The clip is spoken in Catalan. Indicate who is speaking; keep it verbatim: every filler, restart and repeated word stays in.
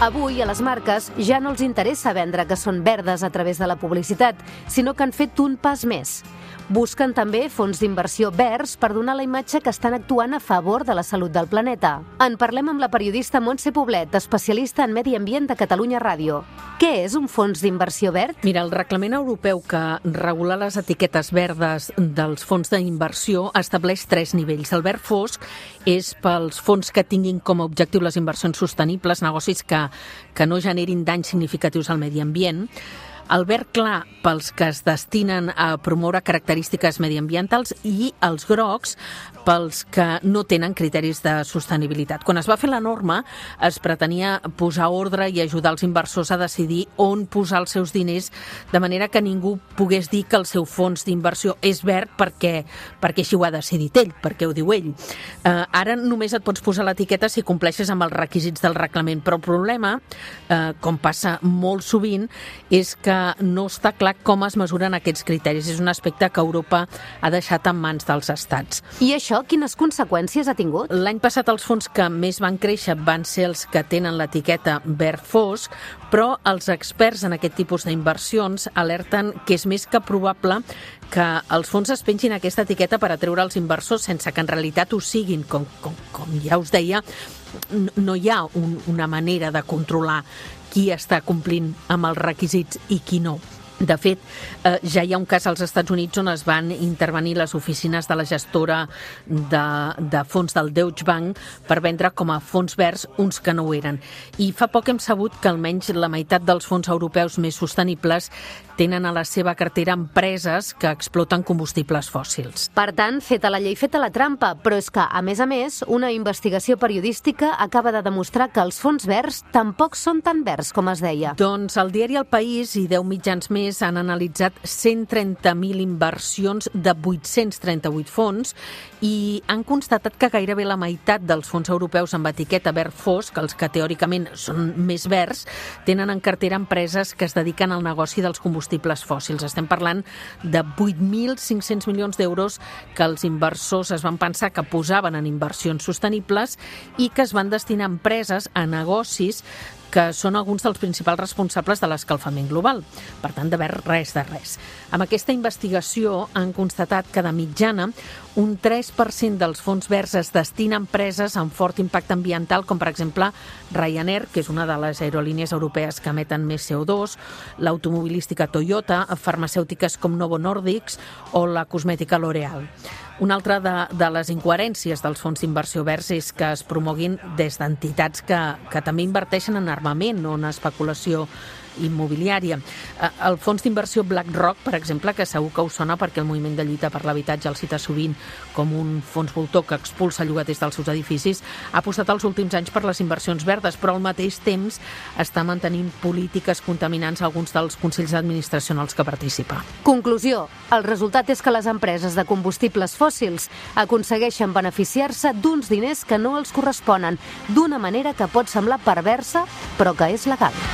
Speaker 1: Avui, a les marques ja no els interessa vendre que són verdes a través de la publicitat, sinó que han fet un pas més. Busquen també fons d'inversió verds per donar la imatge que estan actuant a favor de la salut del planeta. En parlem amb la periodista Montse Poblet, especialista en medi ambient de Catalunya Ràdio. Què és un fons d'inversió verd?
Speaker 2: Mira, el reglament europeu que regula les etiquetes verdes dels fons d'inversió estableix tres nivells. El verd fosc és pels fons que tinguin com a objectiu les inversions sostenibles, negocis que, que no generin danys significatius al medi ambient. El verd clar pels que es destinen a promoure característiques mediambientals i els grocs pels que no tenen criteris de sostenibilitat. Quan es va fer la norma es pretenia posar ordre i ajudar els inversors a decidir on posar els seus diners de manera que ningú pogués dir que el seu fons d'inversió és verd perquè, perquè així ho ha decidit ell, perquè ho diu ell. Eh, ara només et pots posar l'etiqueta si compleixes amb els requisits del reglament, però el problema, eh, com passa molt sovint, és que no està clar com es mesuren aquests criteris. És un aspecte que Europa ha deixat en mans dels estats.
Speaker 1: I això quines conseqüències ha tingut?
Speaker 2: L'any passat els fons que més van créixer van ser els que tenen l'etiqueta verd fosc, però els experts en aquest tipus d'inversions alerten que és més que probable que els fons es pengin aquesta etiqueta per atreure els inversors sense que en realitat ho siguin. Com, com, com ja us deia, no hi ha un, una manera de controlar qui està complint amb els requisits i qui no. De fet, eh, ja hi ha un cas als Estats Units on es van intervenir les oficines de la gestora de, de fons del Deutsche Bank per vendre com a fons verds uns que no ho eren. I fa poc hem sabut que almenys la meitat dels fons europeus més sostenibles tenen a la seva cartera empreses que exploten combustibles fòssils.
Speaker 1: Per tant, feta la llei, feta la trampa, però és que, a més a més, una investigació periodística acaba de demostrar que els fons verds tampoc són tan verds com es deia.
Speaker 2: Doncs el diari El País i deu mitjans més han analitzat cent trenta mil inversions de vuit-cents trenta-vuit fons i han constatat que gairebé la meitat dels fons europeus amb etiqueta verd fosc, els que teòricament són més verds, tenen en cartera empreses que es dediquen al negoci dels combustibles fòssils. Estem parlant de vuit mil cinc-cents milions d'euros que els inversors es van pensar que posaven en inversions sostenibles i que es van destinar a empreses, a negocis que són alguns dels principals responsables de l'escalfament global. Per tant, de verd res de res. Amb aquesta investigació han constatat que de mitjana un tres per cent dels fons verds es destina a empreses amb fort impacte ambiental, com per exemple Ryanair, que és una de les aerolínies europees que emeten més C O dos, l'automobilística Toyota, farmacèutiques com Novo Nordisk o la cosmètica L'Oréal. Una altra de, de les incoherències dels fons d'inversió verds és que es promoguin des d'entitats que, que també inverteixen en armament o en especulació immobiliària. El fons d'inversió BlackRock, per exemple, que segur que us sona perquè el moviment de lluita per l'habitatge el cita sovint com un fons voltor que expulsa llogaters dels seus edificis, ha apostat els últims anys per les inversions verdes, però al mateix temps està mantenint polítiques contaminants a alguns dels consells d'administració en els que participa.
Speaker 1: Conclusió, el resultat és que les empreses de combustibles fòssils aconsegueixen beneficiar-se d'uns diners que no els corresponen, d'una manera que pot semblar perversa, però que és legal.